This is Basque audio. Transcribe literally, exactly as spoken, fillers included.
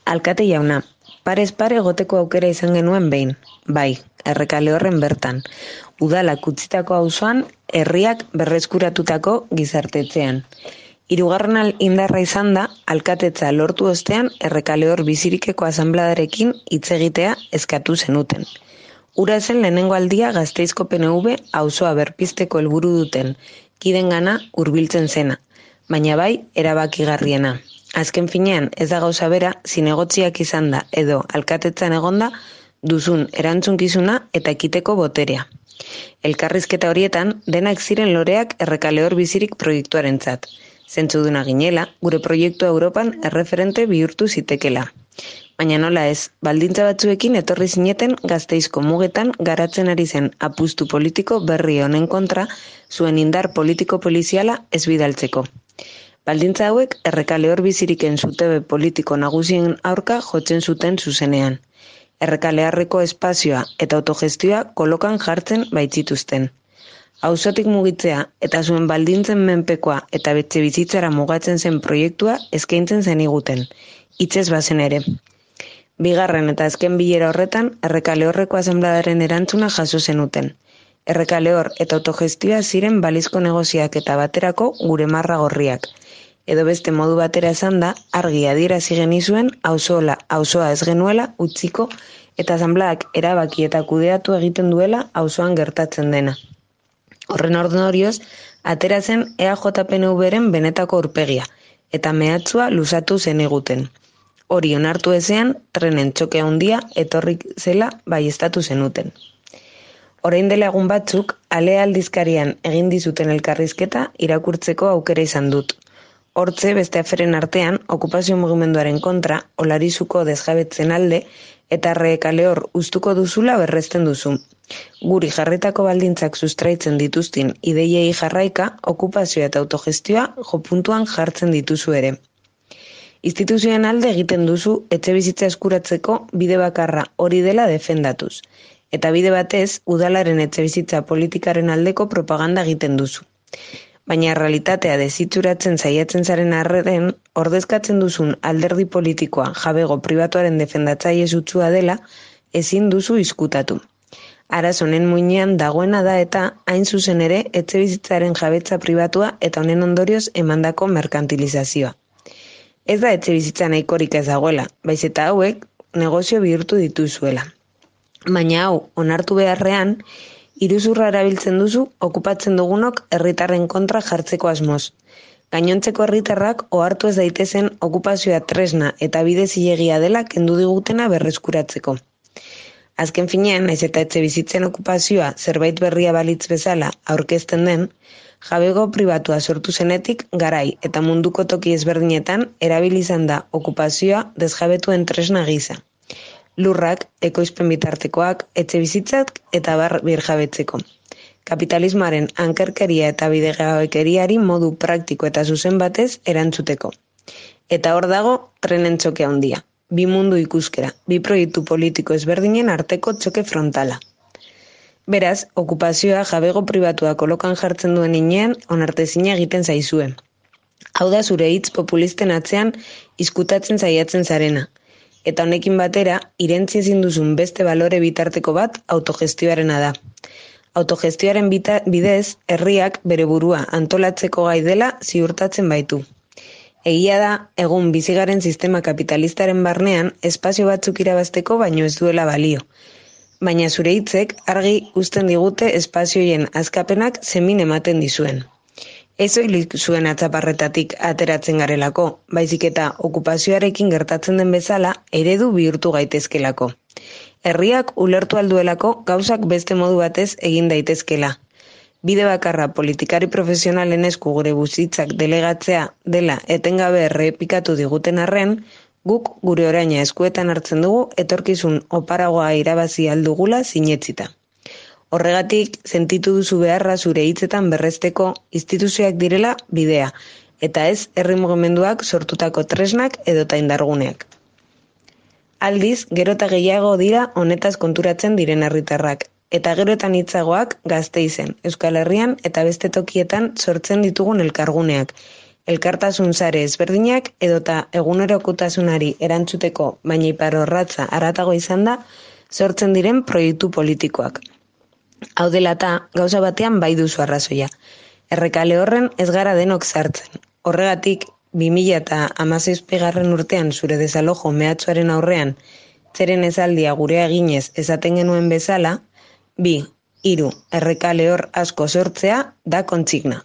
Alkate jauna, parez pare egoteko aukera izan genuen behin. Bai, Errekalehorren bertan. Udalak utzitako auzoan, herriak berreskuratutako gizartetzean. Hirugarren al- indarra izan da, alkatetza lortu ostean Errekalehor bizirikeko asanbladarekin hitz egitea eskatu zenuten. Ura zen lehenengo aldia Gasteizko P N V auzoa berpizteko helburu duten kidengana hurbiltzen zena, baina bai erabakigarriena. Azken finean ez da gauza bera zinegotziak izan da edo alkatetzan egonda duzun erantzunkizuna eta ekiteko boterea. Elkarrizketa horietan denak ziren loreak Errekalehor bizirik proiektuarentzat. Zentzuduna ginela, gure proiektua Europan erreferente bihurtu zitekela. Baina nola ez, baldintza batzuekin etorri zineten Gasteizko mugetan garatzen ari zen apustu politiko berri honen kontra zuen indar politiko poliziala ez bidaltzeko. Baldintza hauek Errekalehor biziriken zutebe politiko nagusien aurka jotzen zuten zuzenean. Errekaleharreko espazioa eta autogestioa kolokan jartzen baitzituzten. Auzotik mugitzea eta zuen baldintzen menpekoa eta betxe bizitzara mugatzen zen proiektua eskaintzen zeniguten, hitzez bazen ere. Bigarren eta azken bilera horretan Errekalehorreko asanbladaren erantzuna jaso zenuten. Errekalehor eta autogestioa ziren balizko negoziak eta baterako gure marra gorriak. Edo beste modu batera esan da, argi adierazi genizuen auzola, auzoa ez genuela utziko eta asanbladak erabaki eta kudeatu egiten duela auzoan gertatzen dena. Horren ordorioz, atera zen E A J P N V-ren benetako aurpegia, eta mehatxua luzatu zeniguten. Hori onartu ezean, trenen txoke handia etorri zela baieztatu zenuten. Orain dela egun batzuk, Ale aldizkarian egin dizuten elkarrizketa irakurtzeko aukera izan dut. Hortze, beste aferen artean, okupazio mugimenduaren kontra, Olarizuko desjabetzen alde, eta Errekalehor uztuko duzula berresten duzu. Guri jarritako baldintzak sustraitzen dituztin ideiei jarraika, okupazioa eta autogestioa jopuntuan jartzen dituzu ere. Instituzioen alde egiten duzu etxe bizitza eskuratzeko bide bakarra hori dela defendatuz. Eta bide batez, udalaren etxe bizitza politikaren aldeko propaganda egiten duzu. Baina realitatea dezitzuratzen saiatzen zaren arren, ordezkatzen duzun alderdi politikoa jabego pribatuaren defendatzaile sutsua dela, ezin duzu izkutatu. Araz honen muinean dagoena da eta hain zuzen ere etxe bizitzaren jabetza pribatua eta honen ondorioz emandako merkantilizazioa. Ez da etxe bizitza nahikorik ez dagoela, baiz eta hauek negozio bihurtu dituzuela. Baina hau, onartu beharrean, iruzurra erabiltzen duzu okupatzen dugunok herritarren kontra jartzeko asmoz. Gainontzeko herritarrak ohartu ez daitezen okupazioa tresna eta bide zilegia dela kendu digutena berreskuratzeko. Azken finean, naiz eta etxe bizitzen okupazioa zerbait berria balitz bezala aurkezten den, jabego pribatua sortu zenetik garai eta munduko toki ezberdinetan erabili izan da okupazioa desjabetuen tresna gisa. Lurrak, ekoizpen bitartekoak, etxe bizitzak eta bar birjabetzeko. Kapitalismoaren ankerkeria eta bidegabekeriari modu praktiko eta zuzen batez erantzuteko. Eta hor dago trenen txoke handia. Bi mundu ikuskera, bi proiektu politiko ezberdinen arteko txoke frontala. Beraz, okupazioa jabego pribatua kolokan jartzen duen inean onartezina egiten zaizue. Hau da zure hitz populisten atzean izkutatzen saiatzen zarena. Eta honekin batera, irentzi ezin duzun beste balore bitarteko bat autogestioarena da. Autogestioaren bita, bidez, herriak bere burua antolatzeko gai dela ziurtatzen baitu. Egia da, egun bizigaren sistema kapitalistaren barnean espazio batzuk irabazteko baino ez duela balio. Baina zure hitzek argi uzten digute espazioien azkapenak zemin ematen dizuen. Ez soilik zuen atzaparretatik ateratzen garelako, baizik eta okupazioarekin gertatzen den bezala eredu bihurtu gaitezkelako. Herriak ulertu alduelako gauzak beste modu batez egin daitezkela. Bide bakarra politikari profesionalen esku gure buzitzak delegatzea dela etengabe errepikatu diguten arren, guk gure oraina eskuetan hartzen dugu etorkizun oparagoa irabazi aldugula sinetzita. Horregatik, sentitu duzu beharra zure hitzetan berresteko instituzioak direla bidea, eta ez herri mugimenduak sortutako tresnak edota indarguneak. Aldiz, gero eta gehiago dira honetaz konturatzen diren herritarrak, eta gero eta hitzagoak Gasteizen, Euskal Herrian eta beste tokietan sortzen ditugun elkarguneak, elkartasun sare ezberdinak edota egunerokotasunari erantzuteko baina iparorratza haratago izan da sortzen diren proiektu politikoak. Hau dela eta, gauza batean bai duzu arrazoia. Errekale horren ez gara denok sartzen. Horregatik, bi mila hamazazpigarren urtean zure desalojo mehatxuaren aurrean, zeren esaldia gurea eginez esaten genuen bezala, bi, hiru, errekale hor asko sortzea da kontsigna.